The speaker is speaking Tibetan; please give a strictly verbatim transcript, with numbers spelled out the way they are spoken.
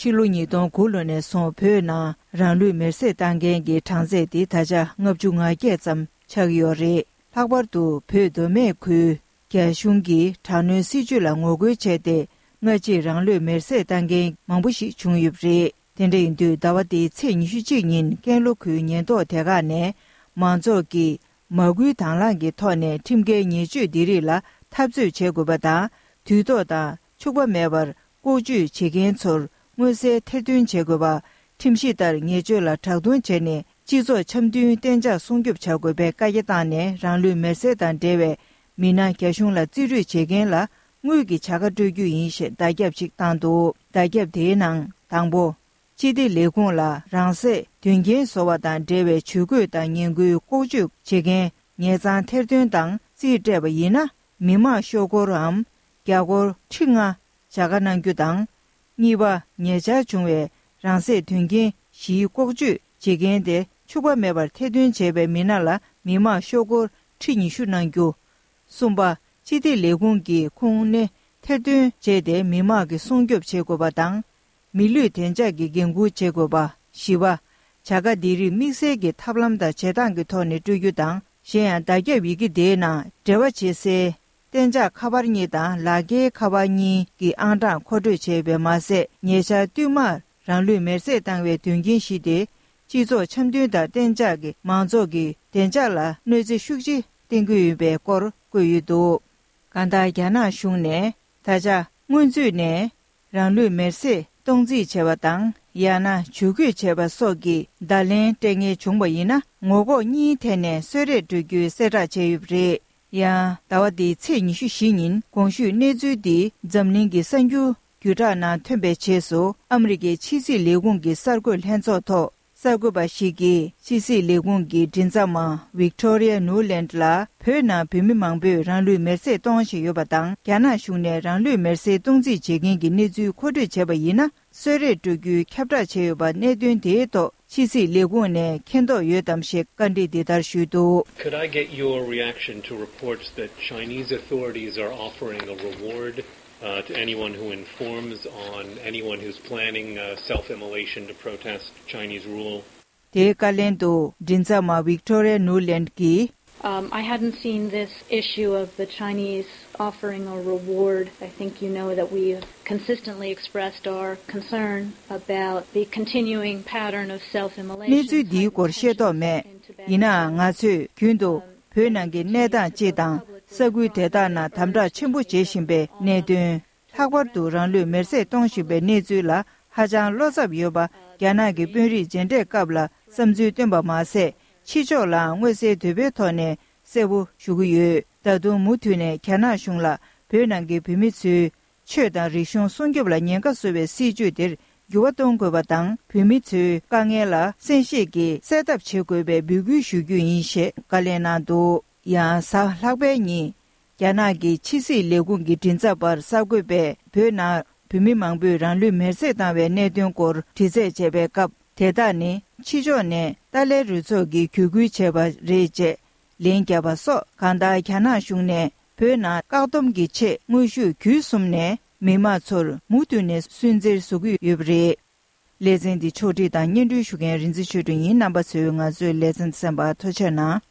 ཕྱི་ལོ་ཉིས་སྟོང་དགུ་ལོ་ནས་བཟུང་བོད་ནང་རང་ལུས་མེར་སྲེག་བཏང་མཁན་གྱི་གྲངས་ཚད་དེ་ད་ཆ་ལྔ་བཅུ་ང་བརྒྱད་ཙམ་ཆགས་ཀྱི་ཡོད་རེད། ལྷག་པར་དུ་བོད་མདོ་སྨད་ཁུལ་རྒྱ་གཞུང་གིས་དྲག་གནོན་སྲིད་བྱུས་ལ་ངོ་རྒོལ་བྱས་ཏེ། སྔ་ཕྱིར་རང་ལུས་མེར་སྲེག་བཏང་མཁན་མང་པོ་ཞིག་བྱུང་ཡོད་པ་རེད། དེ་འདྲ་ཡིན་དུས་ཟླ་བ་འདིའི་ཚེས་ཉི་ཤུ་གཅིག་ཉིན་ཀན་ལྷོ་ཁུལ་ཉེན་རྟོག་སྡེ་ཁག་ནས་མང་ཚོགས་ཀྱིས་མ་སྐུལ་དང་བླངས་ཀྱི་ཐོག་ནས་ཁྲིམས་འགལ་ཉེས་སྤྱོད་འདི་རིགས་ལ་འཐབ་རྩོད་བྱེད་དགོས་པ་དང་། དུས་ཐོག་དང་འཕྱུགས་པ་མེད་པར་ལྐོག་ཇུས་བྱེད་མཁན་ཚོར་མངོན་གསལ་ཐེར་འདོན་བྱེད་དགོས་པ། ཁྲིམས་གཞི་ལྟར་ཉེས་སྤྱོད་ལ་དྲག་རྡུང་བྱས་ནས་སྤྱི་ཚོགས་འཆམ་མཐུན་གཏན་འཇགས་སྲུང་སྐྱོབ་བྱ་དགོས་པའི་བཀའ་རྒྱ་བཏང་ནས། རང་ལུས་མེར་སྲེག་དང་འབྲེལ་བའི་མི་སྣ་རྒྱ་གཞུང་ལ་རྩིས་སྤྲོད་བྱེད་མཁན་ལ་དངུལ་གྱི་བྱ་དགའ་སྤྲོད་རྒྱུ་ཡིན་ཞེས་བརྡ་ཁྱབ་ཅིག་བཏང་འདུག་བརྡ་ཁྱབ་དེའི་ནང་དང་པོ། སྤྱི་བདེ་ལས་ཁུངས་ལ་རང་སྲེག་དོན་རྐྱེན་བཟོ་བ་དང་འབྲེལ་བའི་ཇུས་འགོད་དང་ངན་སྐུལ་ལྐོག་ཇུས་བྱེད་མཁན་ཉེས་གཙང་ཐེར་འདོན་དང་རྩིས་སྤྲད་པ་ཡིན་ན། མི་དམངས་ཤོག་སྒོར་འམ་རྒྱ་སྒོར་ཁྲི་ལྔ་བྱ་དགའ་གནང་རྒྱུ་དང་། གཉིས་པ། ཉེ་ཆར་བྱུང་བའི་རང་སྲེག་དོན་རྐྱེན་བཞིའི་ལྐོག་ཇུས་བྱེད་མཁན་དེ་འཕྱུགས་པ་མེད་པར་ཐེར་འདོན་བྱས་པའི་མི་སྣ་ལ་མི་དམངས་ཤོག་སྒོར་ཁྲི་ཉི་ཤུ་གནང་རྒྱུ། གསུམ་པ། སྤྱི་བདེ་ལས་ཁུངས་ཀྱི་ཁུངས་སྣེ་ཐེར་འདོན་བྱས་ཏེ་མི་དམངས་ཀྱི་སྲུང་སྐྱོབ་བྱེད་དགོས་པ་དང་། མི་ལུས་བདེ་འཇགས་ཀྱི་འགན་འཁུར་བྱེད་དགོས་པ། བཞི་པ། བྱ་དགའ་འདི་རིགས་དམིགས་བསལ་གྱི་ཐབས་ལམ་དང་བྱེད་སྟངས་ཀྱི་ཐོག་ནས་སྤྲོད་རྒྱུ་དང་། གཞན་ཡང་བརྡ་ཁྱབ་ཡི་གེ་དེའི་ནང་འབྲེལ་བ་བྱེད་སའི་གཏན་འཇགས་ཁ་པར་གཉིས་དང་ལག་འཁྱེར་ཁ་པར་གཉིས་ཀྱི་ཨང་གྲངས་མཁོ་སྤྲོད་བྱས་པས་མ་ཟད། ཉེ་ཆར་བསྟུད་མར་རང་ལུས་མེར་སྲེག་བཏང་བའི་དོན་རྐྱེན་བཞི་དེ། སྤྱི་ཚོགས་འཆམ་མཐུན་དང་གཏན་འཇགས་ཀྱི་མང་ཚོགས་ཀྱི་བདེ་འཇགས་ལ་གནོད་འཚེ་ཤུགས་ཆེ་བསྟན་གྱི་ཡོད་པའི་སྐོར་བཀོད་ཡོད་འདུག་གང་ལྟར། རྒྱ་ནག་གཞུང་ནས་ད་ཆ་སྔོན་ཚུད་ནས་རང་ལུས་མེར་སྲེག་གཏོང་རྩིས་བྱས་པ་དང་། ཡང་ན་ཇུས་འགོད་བྱས་པ་སོགས་ཀྱི་བརྡ་ལན་སྤྲད་མཁན་བྱུང་བ་ཡིན་ན། ངོ་ལྐོག་གཉིས་ཐད་ནས་གསོལ་རས་སྤྲོད་རྒྱུའི་གསལ་བསྒྲགས་བྱས་ཡོད་པ་རེད། ཡང་ཟླ་བ་འདིའི་ཚེས་ཉི་ཤུ་བཞི་ཉིན་གོང་ཞུས་གནས་ཚུལ་འདི་འཛམ་གླིང་གི་གསར་འགྱུར་བརྒྱུད་བསྒྲགས་ནང་ཐོན་པའི་རྗེས་སུ། ཨ་མི་རི་ཀའི་ཕྱི་སྲིད་ལས་ཁུངས་ཀྱི་གསར་འགོད་ལྷན་ཚོགས་ཐོག་གསར་འགོད་པ་ཞིག་གིས་ཕྱི་སྲིད་ལས་ཁུངས་ཀྱི་མགྲིན་ཚབ་མ་Victoria Nuland ལ། བོད་ནང་བོད་མི་མང་པོས་རང་ལུས་མེར་སྲེག་གཏོང་བཞིན་ཡོད་པ་དང་། རྒྱ་ནག་གཞུང་ནས་རང་ལུས་མེར་སྲེག་གཏོང་རྩིས་བྱེད་མཁན་གྱི་གནས་ཚུལ་མཁོ་སྤྲོད་བྱས་པ་ཡིན་ན། གསོལ་རས་སྤྲོད་རྒྱུའི་ཁྱབ་བསྒྲགས་བྱས་ཡོད་པ། གནད་དོན་དེའི་ཐོག་ཕྱི་སྲིད་ལས་ཁུངས་ནས་མཁྱེན་རྟོགས་ཡོད་དམ་ཞེས་བཀའ་འདྲི་འདི་ལྟར་ཞུས་འདུག Could I get your reaction to reports that Chinese authorities are offering a reward uh, to anyone who informs on anyone who's planning uh, self immolation to protest Chinese rule? དེའི་བཀའ་ལན་དུ་མགྲིན་ཚབ་མ་Victoria Nuland གྱིས། Um, I hadn't seen this issue of the Chinese offering a reward. I think you know that we've consistently expressed our concern about the continuing pattern of self immolation. གནས་ཚུལ་འདིའི་སྐོར་ཤེས་རྟོགས་མེད། ཡིན་ནའང་། ང་ཚོས་རྒྱུན་དུ་བོད་ནང་གི་གནས་སྟངས་སྤྱི་དང་། ས་ཁུལ་དེ་དག་ནང་དམ་དྲག་ཆེན་པོ་བྱེད་བཞིན་པའི་གནད་དོན། ལྷག་པར་དུ་རང་ལུས་མེར་སྲེག་གཏོང་བཞིན་པའི་གནས་ཚུལ་ལ་ཧ་ཅང་བློ་འཚབ་ཡོད་པ། རྒྱ་ནག་གི་དཔོན་རིགས་མཇལ་འཕྲད་སྐབས་ལ་བསམ་ཚུལ་བཏོན་པ་མ་ཟད། ཕྱི་ཕྱོགས་ལའང་མངོན་གསལ་དོད་པོའི་ཐོག་ནས་གསལ་པོ་ཞུ་གི་ཡོད། ད་དུང་མུ་མཐུད་ནས་རྒྱ་ནག་གཞུང་ལ་བོད་ནང་གི་བོད་མི་ཚོའི་ཆོས་དང་རིག་གཞུང་སྲུང་སྐྱོབ་ལ་ཉེན་ཁ་བཟོ་བའི་སྲིད་བྱུས་དེར་འགྱུར་བ་གཏོང་དགོས་པ་དང་། བོད་མི་ཚོའི་དཀའ་ངལ་ལ་གསན་བཞེས་ཀྱིས་སེལ་ཐབས་བྱེད་དགོས་པའི་འབོད་སྐུལ་ཞུ་རྒྱུ་ཡིན་ཞེས་བཀའ་ལན་གནང་འདུག་ཡང་གཟའ་ལྷག་པའི་ཉིན། རྒྱ་ནག་གི་ཕྱི་སྲིད་ལས་ཁུངས་ཀྱི་མགྲིན་ཚབ་པར་གསར་འགོད་པས་བོད་ནང་བོད་མི་མང་པོས་རང་ལུས་མེར་སྲེག་བཏང་བའི་གནད་དོན་སྐོར་དྲི་རྩད་བྱས་པའི་སྐབས། དེ་དག་ནི་ཕྱི་ཕྱོགས་ནས་ཏཱ་ལའི་རུ་ཚོགས་ཀྱིས་བརྒྱུད་སྐུལ་བྱས་པ་རེད་ཅེས་ལན་བརྒྱབ་པ་སོགས། གང་ལྟར། རྒྱ་ནག་གཞུང་ནས་བོད་ནང་བཀག་སྡོམ་གྱི་ཆེད་དངོས་ཤུགས་བརྒྱུད་གསུམ་ནས་མི་མང་ཚོར་མུ་མཐུད་ནས་སུན་གཙེར་བཟོ་གི་ཡོད་པ་རེད། ལེ་ཚན་འདི་ཕྱོགས་སྒྲིག་དང་སྙན་སྒྲོན་ཞུ་མཁན་རིག་འཛིན་ཆོས་སྒྲོན་ཡིན། རྣམ་པ་ཚོས་ང་ཚོའི་ལེ་ཚན་གསན་པར་ཐུགས་རྗེ་གནང་།